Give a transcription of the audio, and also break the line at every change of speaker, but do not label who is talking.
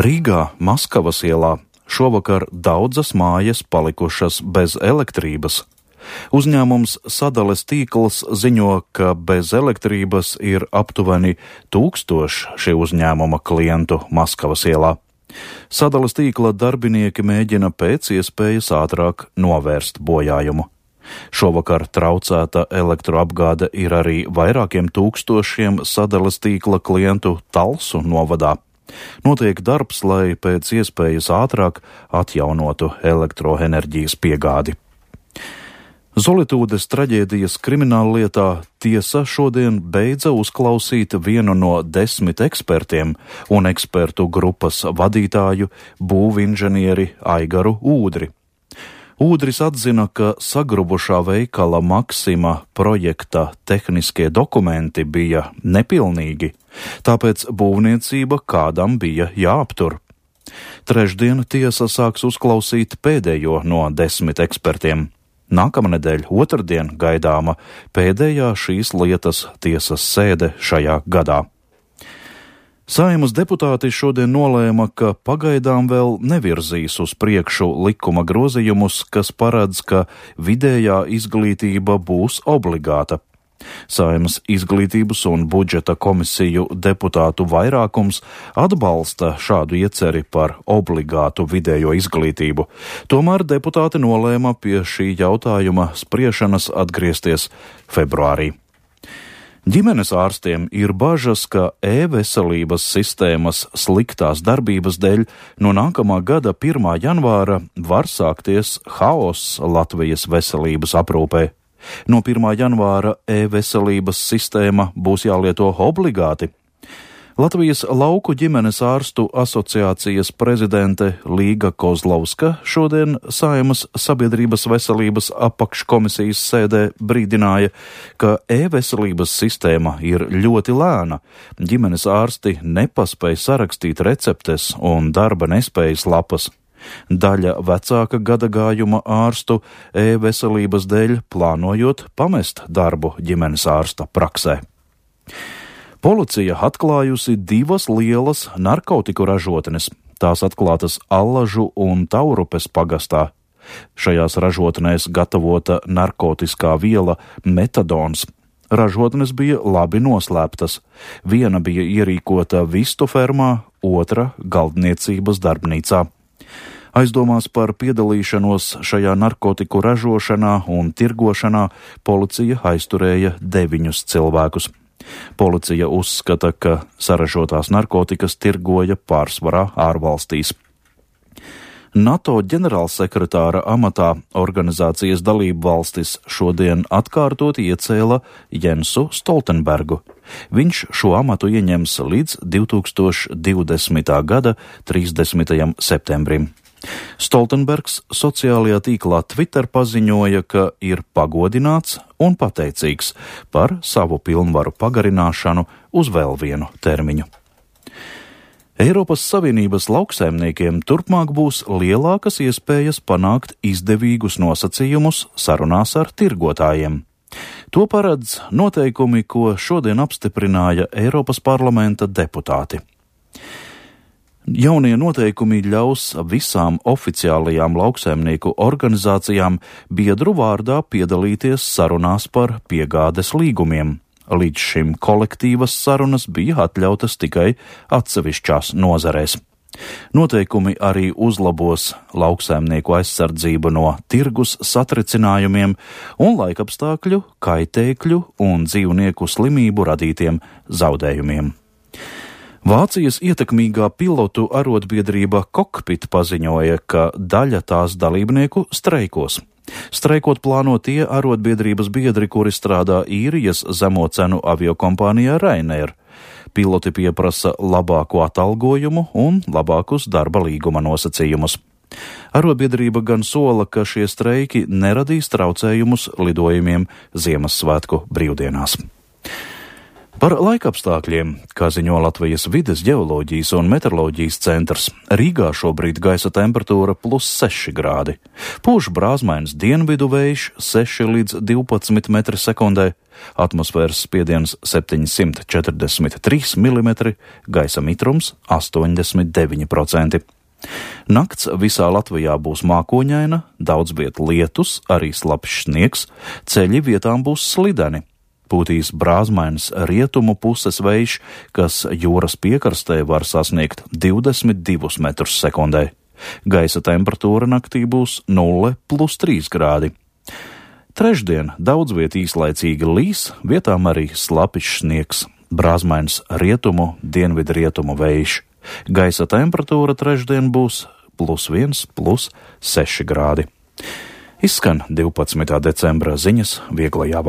Rīgā, Maskavas ielā, šovakar daudzas mājas palikušas bez elektrības. Uzņēmums Sadales tīkls ziņo, ka bez elektrības ir aptuveni 1000 šī uzņēmuma klientu Maskavas ielā. Sadales tīkla darbinieki mēģina pēc iespējas ātrāk novērst bojājumu. Šovakar traucēta elektroapgāde ir arī vairākiem tūkstošiem sadales tīkla klientu Talsu novadā. Notiek darbs, lai pēc iespējas ātrāk atjaunotu elektroenerģijas piegādi. Zolitūdes traģēdijas krimināllietā tiesa šodien beidza uzklausīt vienu no 10 ekspertiem un ekspertu grupas vadītāju būvinženieri Aigaru Ūdri. Ūdris atzina, ka sagrubušā veikala Maksima projekta tehniskie dokumenti bija nepilnīgi, tāpēc būvniecība kādam bija jāaptur. Trešdien tiesa sāks uzklausīt pēdējo no 10 ekspertiem. Nākamnedēļ otrdien gaidāma pēdējā šīs lietas tiesas sēde šajā gadā. Saeimas deputāti šodien nolēma, ka pagaidām vēl nevirzīs uz priekšu likuma grozījumus, kas paredz, ka vidējā izglītība būs obligāta. Saeimas izglītības un budžeta komisiju deputātu vairākums atbalsta šādu ieceri par obligātu vidējo izglītību. Tomēr deputāti nolēma pie šī jautājuma spriešanas atgriezties februārī. Ģimenes ārstiem ir bažas, ka e-veselības sistēmas sliktās darbības dēļ no nākamā gada 1. janvāra var sākties haoss Latvijas veselības aprūpē. No 1. janvāra e-veselības sistēma būs jālieto obligāti. Latvijas lauku ģimenes ārstu asociācijas prezidente Līga Kozlovska šodien Saeimas sabiedrības veselības apakškomisijas sēdē brīdināja, ka e-veselības sistēma ir ļoti lēna. Ģimenes ārsti nepaspēj sarakstīt receptes un darba nespējas lapas. Daļa vecāka gadagājuma ārstu e-veselības dēļ plānojot pamest darbu ģimenes ārsta praksē. Policija atklājusi 2 lielas narkotiku ražotnes. Tās atklātas Allažu un Taurupes pagastā. Šajās ražotnēs gatavota narkotiskā viela metadons. Ražotnes bija labi noslēptas. Viena bija ierīkota vistu fermā, otra galdniecības darbnīcā. Aizdomās par piedalīšanos šajā narkotiku ražošanā un tirgošanā policija aizturēja 9 cilvēkus. Policija uzskata, ka saražotās narkotikas tirgoja pārsvarā ārvalstīs. NATO ģenerālsekretāra amatā organizācijas dalību valstis šodien atkārtot iecēla Jensu Stoltenbergu. Viņš šo amatu ieņems līdz 2020. gada 30. septembrim. Stoltenbergs sociālajā tīklā Twitter paziņoja, ka ir pagodināts un pateicīgs par savu pilnvaru pagarināšanu uz vēl vienu termiņu. Eiropas Savienības lauksaimniekiem turpmāk būs lielākas iespējas panākt izdevīgus nosacījumus sarunās ar tirgotājiem. To paredz noteikumi, ko šodien apstiprināja Eiropas parlamenta deputāti. Jaunie noteikumi ļaus visām oficiālajām lauksaimnieku organizācijām biedru vārdā piedalīties sarunās par piegādes līgumiem. Līdz šim kolektīvas sarunas bija atļautas tikai atsevišķās nozarēs. Noteikumi arī uzlabos lauksaimnieku aizsardzību no tirgus satricinājumiem un laikapstākļu, kaitēkļu un dzīvnieku slimību radītiem zaudējumiem. Vācijas ietekmīgā pilotu arotbiedrība Cockpit paziņoja, ka daļa tās dalībnieku streikos. Streikot plāno tie arotbiedrības biedri, kuri strādā īrijas zemo cenu aviokompānijā Ryanair. Piloti pieprasa labāku atalgojumu un labākus darba līguma nosacījumus. Arotbiedrība gan sola, ka šie streiki neradīs traucējumus lidojumiem Ziemassvētku brīvdienās. Par laikapstākļiem, kā ziņo Latvijas vides ģeoloģijas un meteoroloģijas centrs, Rīgā šobrīd gaisa temperatūra +6 grādi. Pūš brāzmains dienvidu vējš 6 līdz 12 metri sekundē, atmosfēras spiediens 743 mm, gaisa mitrums 89%. Nakts visā Latvijā būs mākoņaina, daudz viet lietus, arī slapjš sniegs, ceļi vietām būs slideni. Pūtīs brāzmains rietumu puses vējš, kas jūras piekrastē var sasniegt 22 metrus sekundē. Gaisa temperatūra naktī būs 0+3 grādi. Trešdien daudz viet īslaicīgi līs, vietām arī slapjš sniegs, brāzmains rietumu, dienvidrietumu vējš. Gaisa temperatūra trešdien būs +1, +6 grādi. Izskan 12. decembra ziņas Vieglajā valodā.